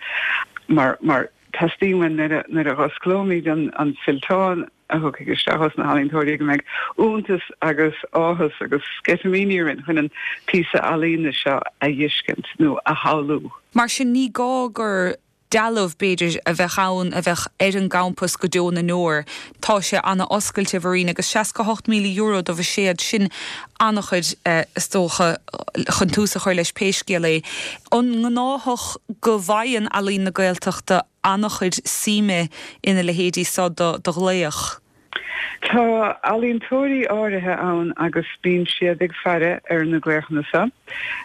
Mar mar teastaíonn uainn nuair a nuair a dh'osclóimid an an fillteán a thiocfaidh isteach ós na healaíontóirí go mbeidh iontas agus áthas agus sceitimíní orainn chun an píosa ealaíne seo a fheiscint nó a shamhlú. Mar sin ní gá gur dealbh b'fhéidir a bheadh ann a bheadh ar an gcampas go deo na ndeor. Tá sé an-oscailte Mharina agus seasca hocht míle euro do bhuiséad sin an-chuid is dócha chun tús a chur leis pé scéal é. An gnáthach go bhfaigheann Ealaín na Gaeltachta an-chuid suime ina leithéidí seo do do ghlaoch? Tá ealaíontóirí áirithe ann agus bíonn siad ag faire ar na glaochanna seo.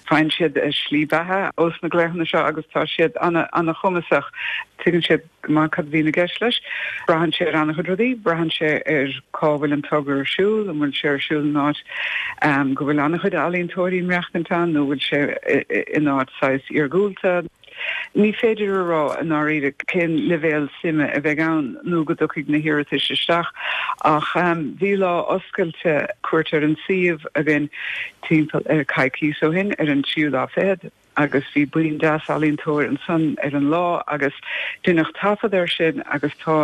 Faigheann siad a slí beatha ós na glaochanna seo agus tá siad an-chumasach. Tuigeann siad go maith cad a bhíonn i gceist leis. Braitheann sé ar an-chuid rudaí, braitheann sé ar cá bhfuil an togra ar siúl, an bhfuil sé ar siúl in áit go bhfuil an-chuid ealaíontóirí ag maireachtaint ann nó bhfuil sé in áit saghas iargúlta. Ní féidir a rá i ndáiríre cén leibhéal suime a bheidh ann nó go dtiocfaidh na hiarratais isteach ach bhí lá oscailte cuairt ar an suíomh againn timpeall ar coicís ó shin ar an tríú lá fichead agus bhí buíon deas ealaíontóir ansan ar an lá agus deineadh taifead air sin agus tá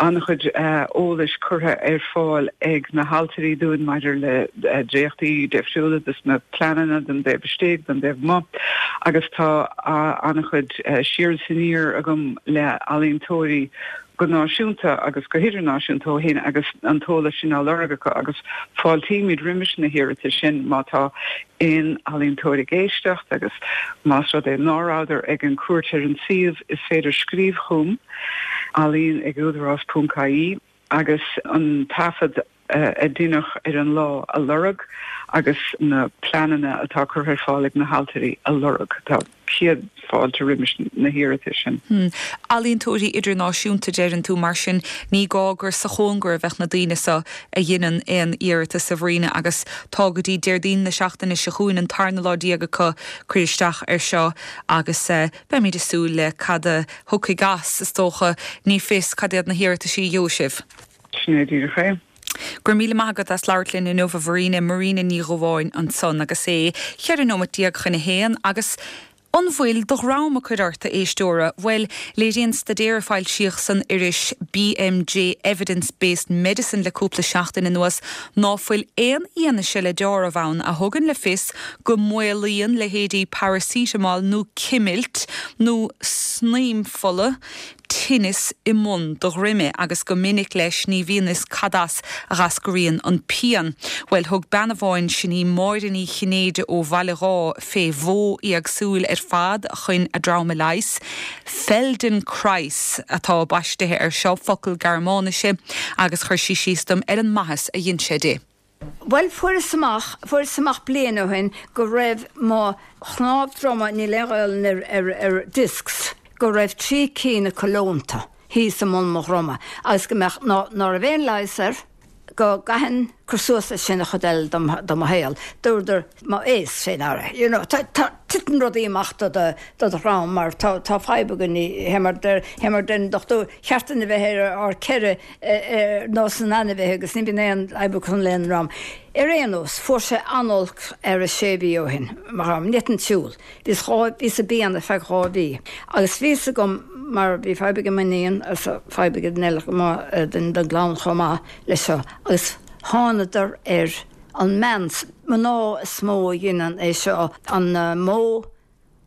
an-chuid eolais curtha ar fáil ag na hailtirí dúinn maidir le dréachtaí difriúla dos na pleananna don dtaobh istigh, don dtaobh amuigh agus tá an-chuid siar is aniar agam le ealaíontóirí go náisiúnta agus go hidirnáisiúnta ó shin agus an t-eolas sin á lorg acu agus fáiltímid roimis na hiarratais sin má tá aon ealaíontóir ag éisteacht agus más rud é ná rabhadar ag an cuairt ar an suíomh is féidir scríobh chugam, ealaín ag údarás ponc ie, agus an taifead a deineadh ar an lá a lorg agus na pleananna atá curtha ar fáil ag na hailtirí a lorg. Tá céad fáilte roimis na hiarratais sin. Ealaíontóirí idirnáisiúnta deireann tú, mar sin ní gá gur sa chóngar a bheadh na daoine seo a dheineann aon iarratas a Mharina agus tá go dtí Déardaoin na seachtaine seo chugainn an tarna lá déag acu cur isteach ar seo agus beimid ag súil le cad a thiocfaidh as, is dócha. Ní fios cad iad na hiarrataisí a gheobhaidh sibh. Sin é díreach é. Go raibh míle maith agat as labhairt linn inniu a Mharina, Marina Ní Dhubháin ansan agus é cheithre nóimeat déag chun a haon agus An bhfuil do dhroim ag cur ort, a éisteora? Bhuel, léiríonn staidéar a foilsíodh san iris BMJ Evidence Based Medicine le cúpla seachtain anuas ná fuil aon fhianaise le deáramh ann a thugann le fios go maolaíonn leithéidí paracetamol nó cimilt nó snaidhm fola tinneas i mbun do dhroime agus go minic leis ní bhíonn fhios cad as a dh'eascraíonn an pian. Bhuel, thug bean amháin, sin í Máire Ní Chinnéide ó Bhaile Dháith, fé mhodh éagsúil ar fad chun a drom a leigheas. Feldenkrais atá baistithe air seo, focal Gearmáinise, agus chuir sí síos dom ar an maitheas a dhein sé di. Bhuel, fuaireas amach, fuaireas amach bliain ó shin go raibh mo chnámh droma, níl aon Ghaelainn ar, ar, ar discs, go raibh trí cinn acu leonta thíos i mbun mo dhroma agus go mbeadh, ná, ná raibh aon leigheas air, go gcaithfinn cur suas leis sin an chuid eile de mo shaol. Dúradar m'aos fé ndeara, you know, tá, tá, titeann rudaí amach do do, do do dhrom mar tá, tá fadhb againn, fé mar deir, fé mar deir an dochtúir, cheart duinn a bheith ar ár ceithre ar nós na n-ainmhithe agus ní bhíonn aon fhadhb acu lena ndrom. Ar aon nós, fuair sé an-olc ar a sé mhí ó shin, mo dhrom, ní fhéadfainn siúl. Bhíos dhá, bhíos i bpian ar feadh dhá mhí. Agus bhí fhios agam, mar bhí fadhb ag m'iníon agus fadhb ag duine eile chomh maith den gclann chomh maith leis seo, agus thánadar ar an mbean, mná is mó a dheineann é seo, an modh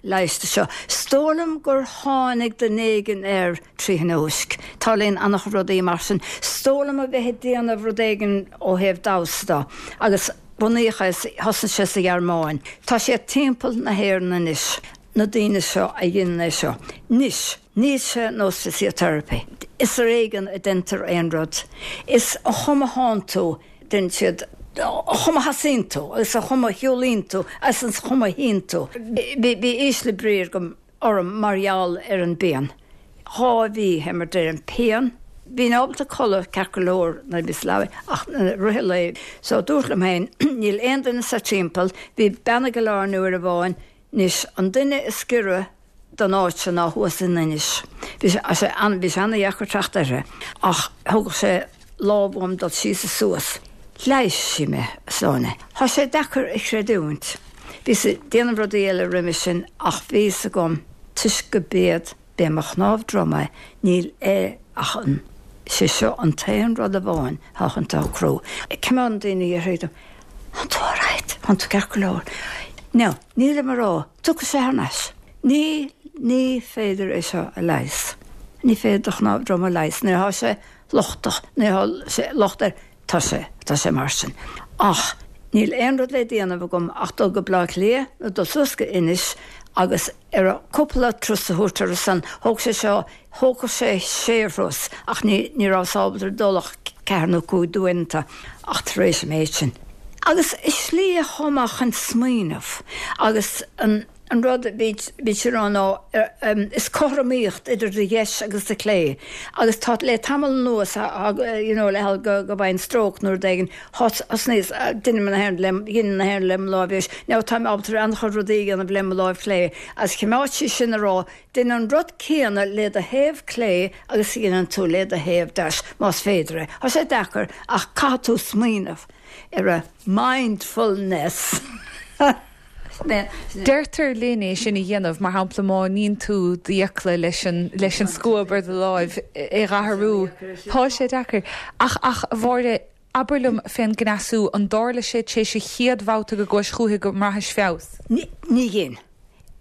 leighis seo. Is dóigh liom gur tháinig duine éigin air trí thionóisc. Tarlaíonn an-chuid rudaí mar sin. Is dóigh liom a bheith ag déanamh rud éigin ó thaobh damhsa de. Agus bunaíodh é, thosnaigh sé sa Ghearmáin. Tá sé timpeall na hÉireann anois, na daoine seo a dheineann é seo. Anois, níl sé nós physiotherapy. Is ar éigean a deintear aon rud. Is an chuma thánn tú. Deineann siad an chuma a sheasaíonn tú agus an chuma a shiúlaíonn tú agus an chuma a shuíonn tú. Bhí ísle brí agam orm mar gheall ar an bpian. Dhá mhí, fé mar deir an pian. Bhínn ábalta codladh ceart go leor nuair a bhíos sa leaba ach i rith an lae. So dúrt liom féin, níl aon duine sa timpeall. Bhí bean ag Oileán uair amháin. Anois, an duine is giorra don áit seo ná thuas in Inis. Bhí sé an, bhí sé an-dheacair teacht uirthi, ach thógadh sé lámh uaim dul síos is suas. Leigheas sí mé, a Shláine. Tá sé deacair a chreidiúint. Bhíos ag déanamh rudaí eile roimhe sin ach bhí fhios agam toisc go b'iad b'é mo chnámh droma níl é ach an sé seo an t-aon rud amháin atá chun socrú. Coimeádann daoine a dhéarfaidh dom, Tánn tú alright, tánn tú ceart go leor. Now, nílim a rá, tiocfaidh sé thar n-ais. Ní, ní féidir é seo a leigheas. Ní féidir do chnámh droma a leigheas nuair atá sé lochtach, nuair atá sé locht air, tá sé, tá sé mar sin. Ach níl aon rud le déanamh agam ach dul go Bleá Cliath nó dul suas go Inis agus ar a cúpla turas a thabhairt ar a son. Thóg sé seo, thógfadh sé sé thuras ach ní, ní rabhas ábalta dul ach ceathair nó cúig d'uaireanta ach tar éis an méid sin. Agus is slí é chomh maith chun smaoineamh agus an, an rud a bhí, bhí sé rá ná is cothromaíocht idir do dheis agus do chlé agus tá le tamall anuas you know le go, go bhfaighinn stróc nó rud éigin thosnaíos, deinim na haon le, dhein na haon le mo láimh dheis. Now táim ábalta an-chuid rudaí a dhéanamh le mo láimh chlé agus choimeád sí sin a rá dein an rud céanna le do thaobh clé agus a dhéanann tú le do thaobh deis más féidir é. Tá sé deacair ach caithfidh tú smaoineamh ar a mindfulness. Deirtear linn é sin a dhéanamh, mar shampla má níonn tú d'fhiacla leis an leis an scuab ar do láimh é dh'athrú. Tá sé deacair. Ach ach a Mháire, abair liom fén gcneasú, an dtarla sé tar éis an chéad bhabhta go gcuais chúithi go mbraithis feabhas? Ní ní dhein.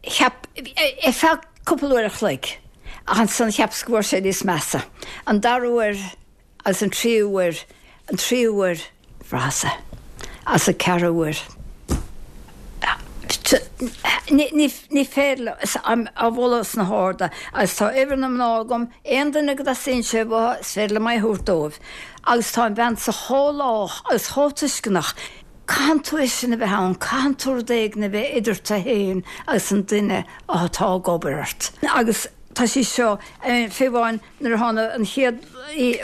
Cheap ar feadh cúpla uair a chloig ach ansan cheapas go bhfuair sé níos measa. An dara huair agus an tríú huair, an tríú huair, bhraitheas é. Agus an ceathrú huair. Ní féidir liom, á mholadh sna harda agus tá uimhir na mná agam, aon duine go dteastaíonn sé uathu, is féidir liom é a thabhairt dóibh. Agus tá an bhean so chomh lách agus chomh tuisceanach. Caitheann tú é sin a bheith ann, caitheann tú rud éigin a bheith idir tú féin agus an duine atá ag obair ort. Agus tá sí seo, fiú amháin nuair a tháinig an chéad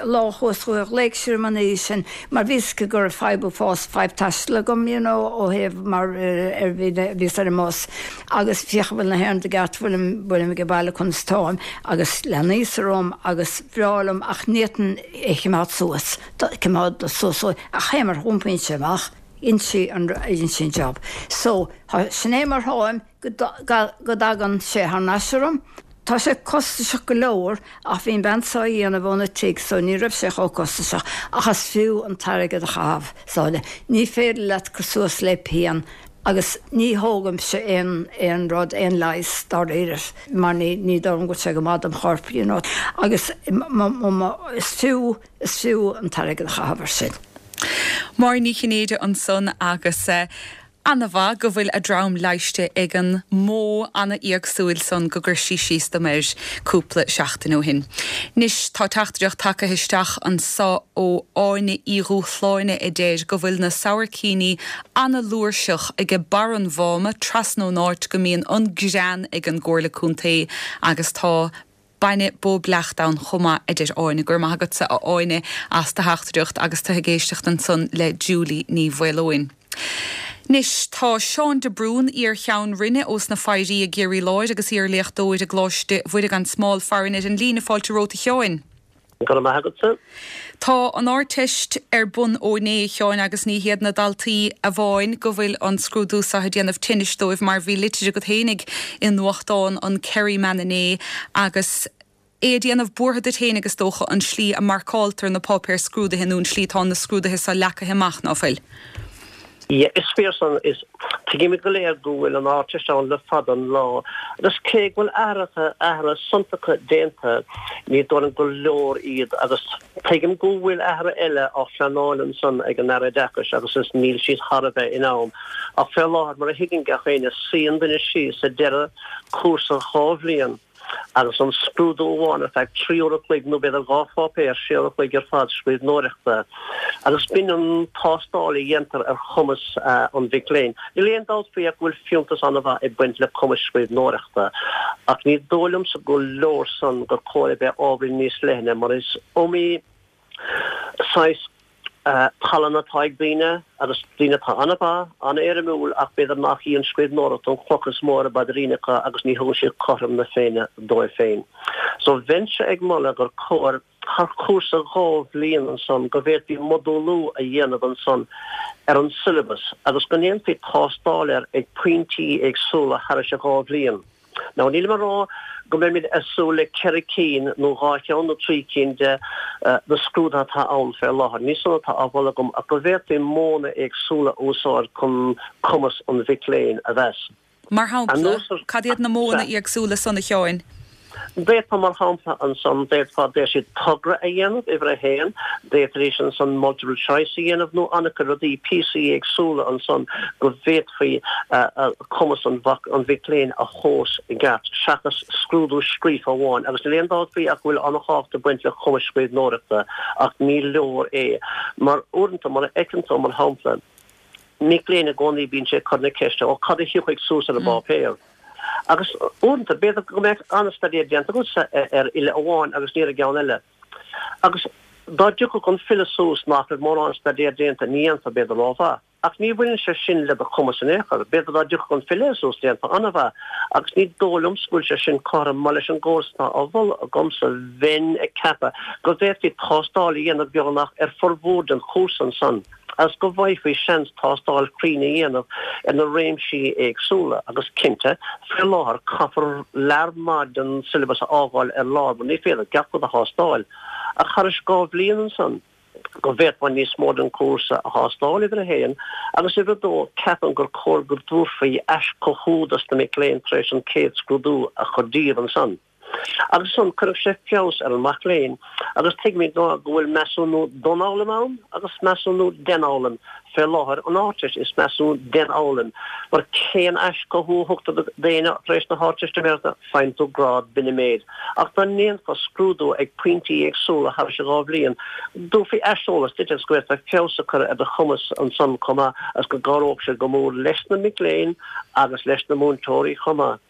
lá chuas chuici, ghlaoigh sí orm an oíche sin mar bhí fhios aici go raibh fadhb uafás, fadhb taistil agam, you know, ó thaobh mar ar bhí, bhíos ar an mbus agus féach an bhfuil na haon rud i gceart, bhfuilim, bhfuilim ag baile conas táim agus leanaíos orm agus bhreá liom ach ní fhéadfainn é a choimeád suas, coimeád suas ach cé mar a iompaíonn sé amach, dhein sí an, dhein sí an job. So, sin é mar tháim go, go dtagann sé thar n-ais orm. Tá sé costasach go leor ach bhí an bhean seo á dhéanamh óna tigh so ní raibh sé chomh costasach ach is fiú an t-airgead a chaitheamh Sáile. Ní féidir leat cur suas le pian agus ní thógaimse aon aon rud, aon leigheas dáiríre mar ní ní dóigh liom go bhfuil sé go maith dom chorp you know agus is fiú is fiú an t-airgead a chaitheamh ar sin. Máire Ní Chinnéide ansan agus Ana-mhaith go bhfuil a drom leighiste ag an modh ana-éagsúil san go gcuir sí síos dom air cúpla seachtain ó shin. Anois tá teachtaireacht tagtha isteach anso ó Áine Uí Dhúshláine a deir go bhfuil na sabhaircíní ana-fhlúirseach aige barr an Mháma trasna ón áit go mbíonn an grean ag an gComhairle Contae agus tá Bainne bó bleachta ann chomh maith, a deir Áine. Go raibh maith agatsa, a Áine, as do theachtaireacht agus tú ag éisteacht ansan le Julie Ní Mhaoileoin. Anois, tá Seán de Brún, iar-Cheann Roinne ós na Foidhrí i gCiarraí Láir agus iar-léachtóir i gColáiste Mhuire gan Smál farainn ar an líne. Fáilte romhat, a Sheáin. Go raibh maith agatsa. Tá an Ardteist ar bun ó inné, a Sheáin, agus ní hiad na daltaí amháin go bhfuil an scrúdú seo ag déanamh tinnis dóibh mar bhí litir agat fhéinig i nuachtán an Kerryman inné agus é ag déanamh buartha duit fhéinig is dócha an slí a marcáiltear na páipéir scrúdaithe nó an slí atá na scrúduithe seo leagtha amach, ná fuil? Yeah, is fíor san. Is tuigimid go léir go bhfuil an Ardteist ann le fada an lá, agus cé go bhfuil athruithe, athruithe suntasacha déanta, ní dóigh liom gur leor iad, agus tuigim go bhfuil athruithe eile á phleanáil ansan ag an Aire Oideachais agus is níl siad thar a bheith in am. Ach fé láthair, mar a thuigeann gach éinne, suíonn duine síos ag deireadh cúrsa dhá bhliain, agus an scrúdú amháin ar feadh trí uair a chloig nó b'fhéidir dhá pháipéar, sé uair a chloig ar fad scríbhneoireachta, agus b'in an tástáil a dhéantar ar chumas an mhic léinn. Níl aon dabht faoi ach go bhfuil fiúntas an-mhaith ag baint le cumas scríbhneoireachta, ach ní dóigh liomsa go leor san gur chóir a bheith ábhairín níos leithne mar is iomaí saghas tallann atá ag daoine, agus daoine atá an-mhaith, an-éirimiúil ach b'fhéidir nach í an scríbhneoireacht an chloch is mó ar a bpaidrín acu agus ní thugann siad cothrom na Féinne dóibh féin. So bheinnse ag moladh gur chóir thar chúrsa dhá bhliain ansan go bhféadfaí modúlú a dhéanamh ansan ar an syllabus agus go ndéanfaí tástáil air ag pointí éagsúla thairis an dhá bhliain. Now nílim ag rá go mbeimid ag súil le ceithre cinn nó dhá cheann nó trí cinn de na scrúduithe atá ann fé láthair. Ní san atá á mholadh agam ach go bhféadfaí modhanna éagsúla a úsáid chun cumas an mhic léinn a mheas. Mar shampla, cad iad na modhanna éagsúla san a Sheáin? D'fhéadfá mar shampla ansan, d'fhéadfá deir siad togra a dhéanamh, uimhir a haon, d'fhéadfaidís ansan multiple choice a dhéanamh nó an-chuid rudaí, píosaí éagsúla ansan go bhféadfaí cumas an mhic léinn a thomhas i gceart seachas scrúdú scríofa amháin. Agus níl aon dabht faoi ach go bhfuil an-thábhacht ag baint le cumas scríbhneoireachta ach ní leor é mar uaireanta mar a fheiceann tú mar shampla, mic léinn i gcónaí bíonn sé ag cur na ceiste, ó cad a thiocfaidh suas ar an bpáipéar? Agus uaireanta, b'fhéidir go mbeadh an-staidéar déanta agatsa ar fhile amháin agus ní ar an gceann eile. Agus dá dtiocfadh an file suas nach raibh mórán staidéir déanta, ní dhéanfá b'fhéidir rómhaith. Ach ní bhaineann sé sin le do chumas in aon chor. B'fhéidir dá dtiocfadh an file suas, déanfá an-mhaith. Agus ní dóigh liomsa go bhfuil sé sin cothrom, mar leis an gcóras atá á mholadh agamsa, bheinn ag ceapadh go bhféadfaí tástáil a dhéanamh beagnach ar formhór den chúrsa ansan. agus go bhfaighfí seans tástáil chruinn a dhéanamh ar na réimsí éagsúla agus cinnte, faoi láthair, caithfear lear maith den siollabas a fhágáil ar lár mar ní féidir gach rud a thástáil. Ach thairis dhá bhliain ansan, go bhféadfá níos mó den chúrsa a thástáil, uimhir a haon, agus uimhir a dó, ceapaim gur chóir go dtabharfaí aischothú dos na mic léinn tar éis an chéad scrúdú a chur díobh ansan. Agus ansan cuirfeadh sé feabhas ar an mac léinn agus tuigimid go bhfuil measúnú don fhoghlaim ann agus measúnú den fhoghlaim. Fé láthair an Ardteist is measúnú den fhoghlaim mar cén aischothú a thugtar d'éinne tar éis na hArdteistiméireachta? Faigheann tú grád, b'in an méid. Ach dá ndéanfá scrúdú ag pointí éagsúla thairis an dhá bhliain, dtabharfaí aiseolas duit agus go bhféadfá feabhas a chur ar do chumas ansan chomh maith agus go gcabhródh sé go mór leis na mic léinn agus leis na múinteoirí chomh maith.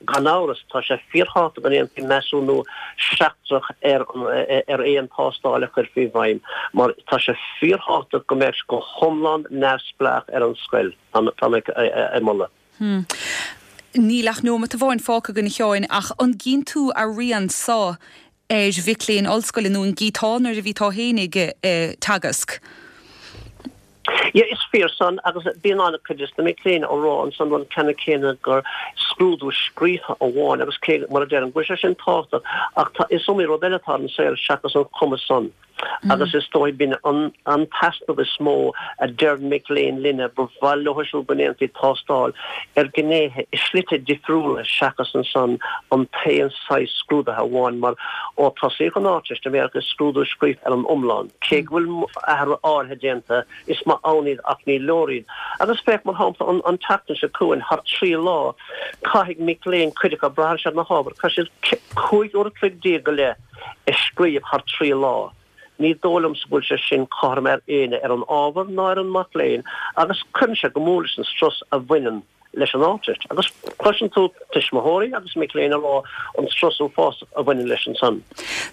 Gan amhras, tá sé fíorthábhachtach go ndéanfaí measúnú seachtrach ar ar aon tástáil a chuirfí i bhfeidhm, mar tá sé fíorthábhachtach go mbeadh sé go hiomlán neamhspleách ar an scoil, tá mé ag moladh. Níl ach neomat amháin fágtha againn a Sheáin, ach an gcíonn tú a rian so ar mhic léinn ollscoile nó an gcíteá nuair a bhí tú fhéinig ag teagasc? Yeah, is fíor san, agus bíonn an-chuid de na mic léinn á rá ansan an ceann céanna gur scrúdú scríofa amháin agus cé, mar a deirim, go bhfuil sé sin tábhachtach ach tá, is iomaí rud eile atá ar an saol seachas an cumas san. Agus is dóigh b'in an an t-easnamh is mó a deir mic léinn linne, ba mhaith leo siúd go ndéanfaí tástáil ar ghnéithe i slite difriúla seachas ansan an t-aon saghas scrúdaithe amháin mar ó tosaíodh an Ardteistiméireacht is scrúdú scríofa ar an iomlán, cé go bhfuil athruithe áirithe déanta, is maith ann iad ach ní leor iad. Agus féach mar shampla an an tseachtain seo chugainn, thar trí lá, caithfidh mic léinn, cuid acu, braitheann sé ar na hábhair, caithfidh siad cúig uair a chloig déag go leith a scríobh thar trí lá. Ní dóigh liomsa go bhfuil sé sin cothrom ar éinne, ar an ábhar ná ar an mac léinn, agus cuireann sé go mór leis an strus a bhaineann leis an Ardteist. Agus cloiseann tú tuismitheoirí agus mic léinn ag rá an strus uafásach a bhaineann leis ansan.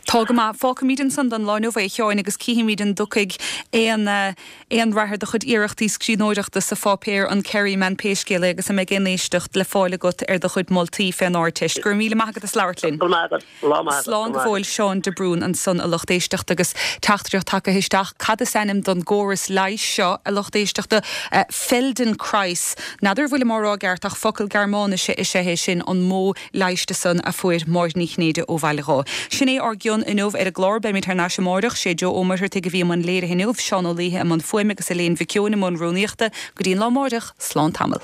Tá go maith. Fágfaimid ansan don lá inniu é, a Sheáin, agus cífimid an dtiocfaidh aon aon rath ar do chuid iarrachtaí scríbhneoireachta sa pháipéar, an Kerryman, pé scéal é, agus an mbeidh aon éisteacht le fáil agat ar do chuid moltaí fén Ardteist. Go raibh míle maith agat as labhairt linn. Go raibh maith agat. Lá maith agat. Slán go fóill. Seán de Brún ansan, a lucht éisteachta, agus teachtaireacht tagtha isteach. Cad is ainm don gcóras leighis seo, a lucht éisteachta? Feldenkrais. N'fheadar an bhfuilim á rá i gceart ach focal Gearmáinise is ea é sin, an modh leighis san a fuair Máire Ní Chinnéide ó Bhaile Dháith. Sin é ár gcion inniu ar an gclár. Beimid thar n-ais amáireach. Sé Joe Ó Muircheartaigh a bhí i mbun léirithe inniu, Seán Ó Laoithe i mbun fuaime agus Elaine Mhic Eoin i mbun rúnaíochta. Go dtí an lá amáireach, slán tamall.